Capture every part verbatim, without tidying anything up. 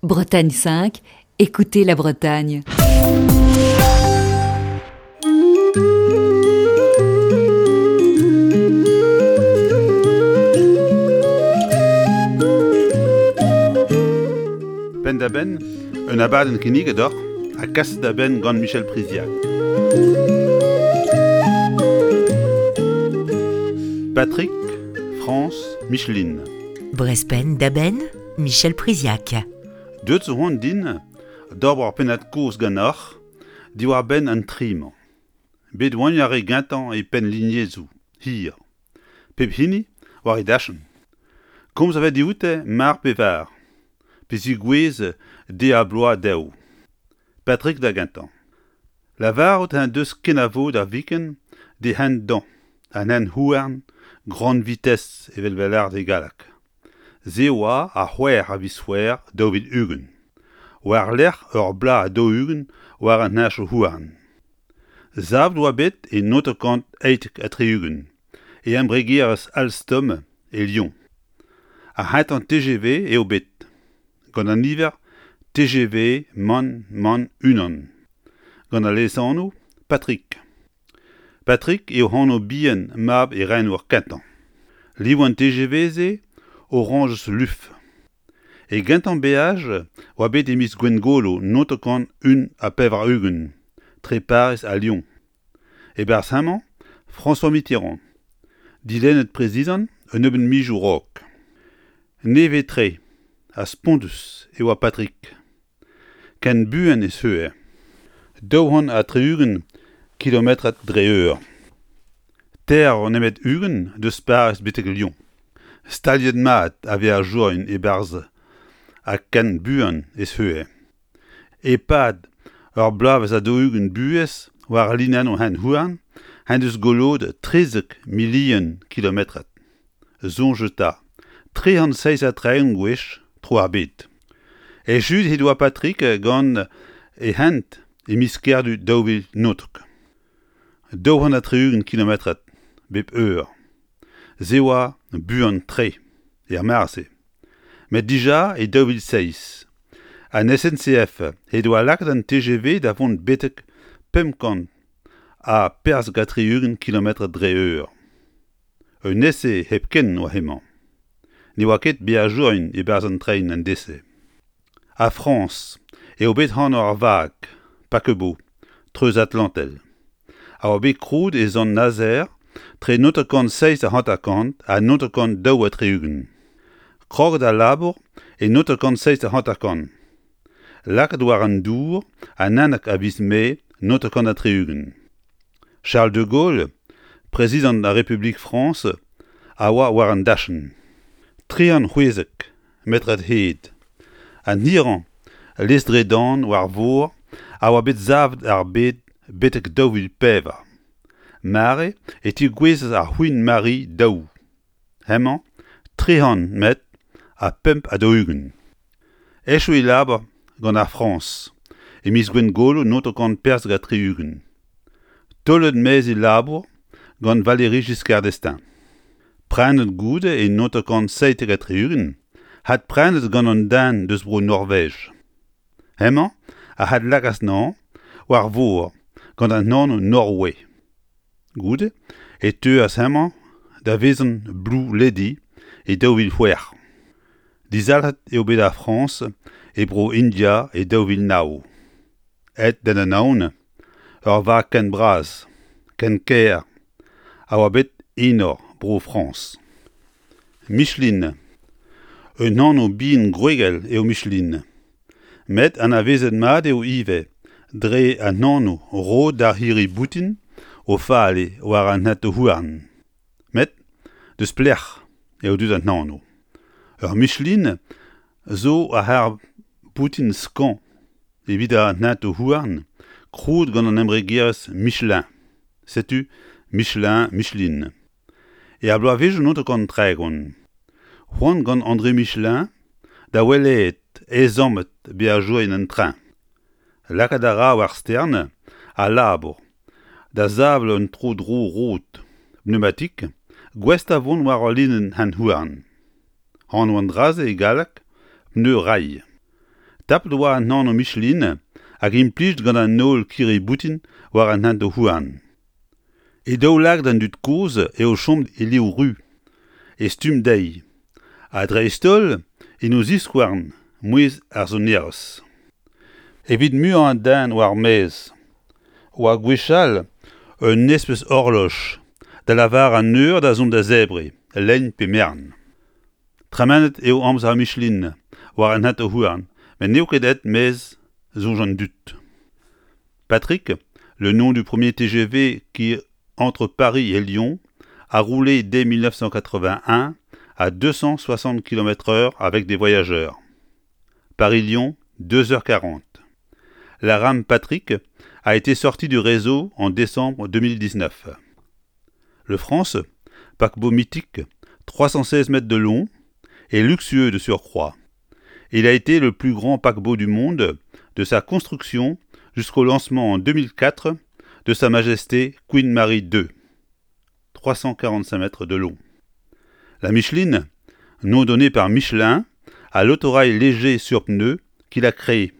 Bretagne cinq, écoutez la Bretagne. Penn-da-benn, un abadenn kinniget deoc'h ha kaset da benn gant Michel Priziac. Patrick, France, Micheline. Brest Penn-da-Benn, Michel Priziac. Deuet zo c'hoant din d'ober ur pennad-kozh ganeoc'h diwar-benn an tri-mañ. Bet oant ar re gentañ e penn lignezoù, hir. Pep hini war e dachenn. Komz a vez dioute mar pe var, pe zigouez deiz-ha-bloaz dezho. Patrick da gentañ. Lavarout en deus kenavo da viken d'e hent-dañ, an hent-houarn grande vitesse evel vez lâret e galleg. Se oa ar c'hwec'h a viz C'hwevrer daou vil ugent. War-lerc'h ur bloaz ha daou-ugent war an hentoù-houarn. Savet oa bet e naontek kant eitek ha tri-ugent e embregerezh Alstom e Lyon. Ar c'hentañ T G V eo bet, gant an niver T G V mann mann unan, gant al lesanv Patrick. Patrick eo anv bihan mab e renour kentañ. Liv an T G V-se orañjez luf. E gentañ beaj oa bet e miz Gwengolo naontek kant un ha pevar-ugent, tre Pariz ha Lyon. E-barzh hemañ, François Mitterrand, dilennet prezidant un nebeud mizioù a-raok. Nevez-tre ha spontus e oa Patrick. Ken buan e seue. Daou c'hant ha tri-ugent kilometrad dre eur. Teir nemet ugent deus Pariz betek Lyon. Staliet mat a veajourien e-barzh ha ken buan e seue. E-pad ur bloavezh ha daou-ugent buhez war linennoù hent-houarn en deus goloet trizek milion kilometrad. Soñj eta, tri c'hant seizh ha tregont gwech tro ar bed. Echuet he doa Patrick gant e hent e miz Kerdu daou vil naontek. Daou c'hant ha tri-ugent kilometrad bep eur. Se oa buan-tre er mare-se. Met dija e daou vil seizh. An S N C F he doa lakaet an T G V da vont betek pemp kant ha perzh ha tri-ugent kilometrad dre eur. Un ese hepken oa hemañ. Ne oa ket beajourien e-barzh an tren an dese. A Frañs eo bet anv ar vag, paquebot, treuzatlantel. A oa bet krouet e Sant-Nazer tre naontek kant seizh ha hanter-kant ha naontek kant daou ha tri-ugent. Kroget al labour e naontek kant seizh ha hanter-kant. Lakaet war an dour an unnek a viz Mae naontek kant ha tri-ugent. Charles de Gaulle, prezidant ar Republik Frañs, a oa war an dachenn. Tri c'hant c'hwezek metrad hed. An hirañ lestr-dre-dan war vor a oa bet savet ar bed betek daou vil pevar. Mare e tegouezhas ar Queen Mary daou. Hemañ tri c'hant metr ha pemp ha daou-ugent. Echu e labour gant ar Frañs e miz Gwengolo naontek kant perzh ha tri-ugent. Taolet maez e labour gant Valéry Giscard d'Estaing. Prenet goude e naontek kant seitek ha tri-ugent, hadprenet gant an den deus bro Norvej. Hemañ a hadlakas nañ war vor gant an anv Norway. Goude e teuas hemañ da vezañ Blue Lady e daou vil c'hwec'h. Dizalc'het eo bet ar Frañs e bro India e daou vil nav. Aet d'an anaon ur vag ken bras, ken kaer, a oa bet enor bro Frañs. Micheline. Un anv bihan gwregel eo Micheline. Met anavezet mat eo ivez dre an anv roet d'ar c'hirri-boutin o fale war an hentoù-houarn. Met deus pelec'h eo deuet an anv. Ur Micheline zo ar c'harr-boutin skañv evit an hentoù-houarn krouet gant an embregerezh Michelin. Setu Michelin, Micheline. E ar bloavezhioù naontek kant tregont. C'hoant gant André Michelin da welet ezhommet beajourien en train. Lakaat a ra war stern al labour da sevel un tro-dro rod pneumatik gouest da vont war ul linenn hent-houarn. Anv an dra-se e galleg pneu rail. Tapet oa an anv Micheline hag implij gant an holl kirri-boutin war an hent-houarn. E daoulagad an dud kozh eo chom e liv ruz, e stumm dezhi, ha dreist-holl en o ziskouarn mouezh ar sonerezh. Evit muiañ an den war maez oa gwechall un espes orloj da lavar an eur da zont da zebriñ, lein pe merenn. Tremenet eo amzer Micheline war an hent-houarn met n'eo ket aet maez soñj an dud. Patrick, le nom du premier T G V qui, entre Paris et Lyon, a roulé dès mille neuf cent quatre-vingt-un à deux cent soixante kilomètres heure avec des voyageurs. Paris-Lyon, deux heures quarante. La rame Patrick a été sortie du réseau en décembre deux mille dix-neuf. Le France, paquebot mythique, trois cent seize mètres de long et luxueux de surcroît. Il a été le plus grand paquebot du monde de sa construction jusqu'au lancement en deux mille quatre de Sa Majesté Queen Mary deux, trois cent quarante-cinq mètres de long. La Micheline, nom donné par Michelin à l'autorail léger sur pneus qu'il a créé.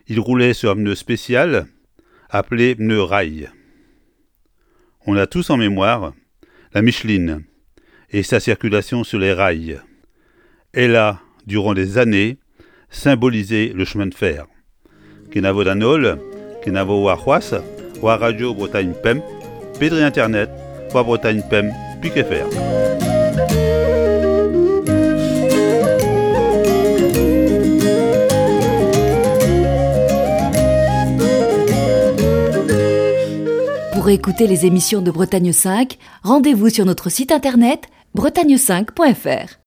Il roulait sur un pneu spécial appelé pneu rail. On a tous en mémoire la Micheline et sa circulation sur les rails. Elle a, durant des années, symbolisé le chemin de fer. Kenavo d'an holl, kenavo war c'hoazh, war Radio Bretagne Pemp, pedri Internet, war Bretagne Pemp, pique F R. Pour écouter les émissions de Bretagne cinq, rendez-vous sur notre site internet bretagne cinq point F R.